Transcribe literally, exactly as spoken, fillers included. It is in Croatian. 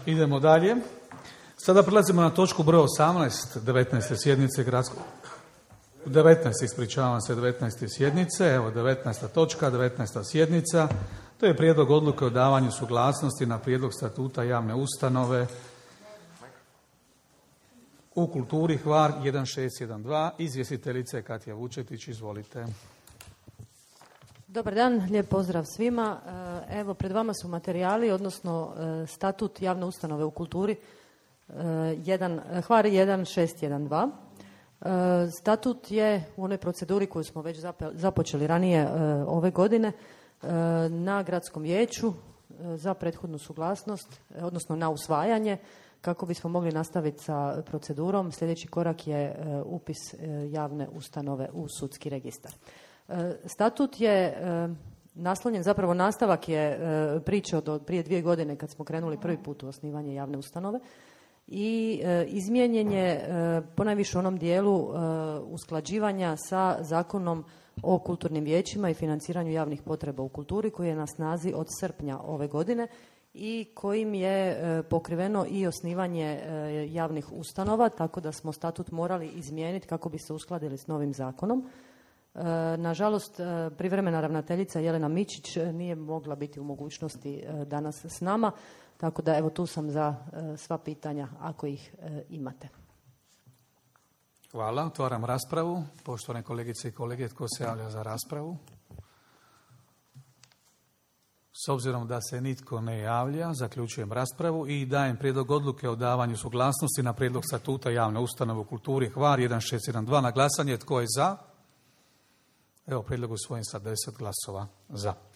Idemo dalje. Sada prelazimo na točku broj osamnaest devetnaeste sjednice gradskog... devetnaest, ispričavam se, devetnaeste sjednice. Evo, devetnaesta točka, devetnaesta sjednica. To je prijedlog odluke o davanju suglasnosti na prijedlog statuta javne ustanove u kulturi Hvar jedan šest jedan dva. Izvjestiteljica je Katja Vučetić, izvolite. Dobar dan, lijep pozdrav svima. Evo, pred vama su materijali, odnosno statut javne ustanove u kulturi Hvar jedan šest jedan dva. Statut je u onoj proceduri koju smo već započeli ranije ove godine na gradskom vijeću za prethodnu suglasnost, odnosno na usvajanje, kako bismo mogli nastaviti sa procedurom. Sljedeći korak je upis javne ustanove u sudski registar. Statut je naslonjen, zapravo nastavak je priče od prije dvije godine kad smo krenuli prvi put u osnivanje javne ustanove i izmijenjen je ponajviše u onom dijelu usklađivanja sa Zakonom o kulturnim vijećima i financiranju javnih potreba u kulturi koji je na snazi od srpnja ove godine i kojim je pokriveno i osnivanje javnih ustanova, tako da smo statut morali izmijeniti kako bi se uskladili s novim zakonom. Nažalost, privremena ravnateljica Jelena Mičić nije mogla biti u mogućnosti danas s nama, tako da evo tu sam za sva pitanja ako ih imate. Hvala. Otvaram raspravu. Poštovane kolegice i kolege, tko se javlja za raspravu? S obzirom da se nitko ne javlja, zaključujem raspravu i dajem prijedlog odluke o davanju suglasnosti na prijedlog statuta javne ustanove u kulturi Hvar jedan šest jedan dva na glasanje. Tko je za? Evo, prijedlog usvojen sa deset glasova za.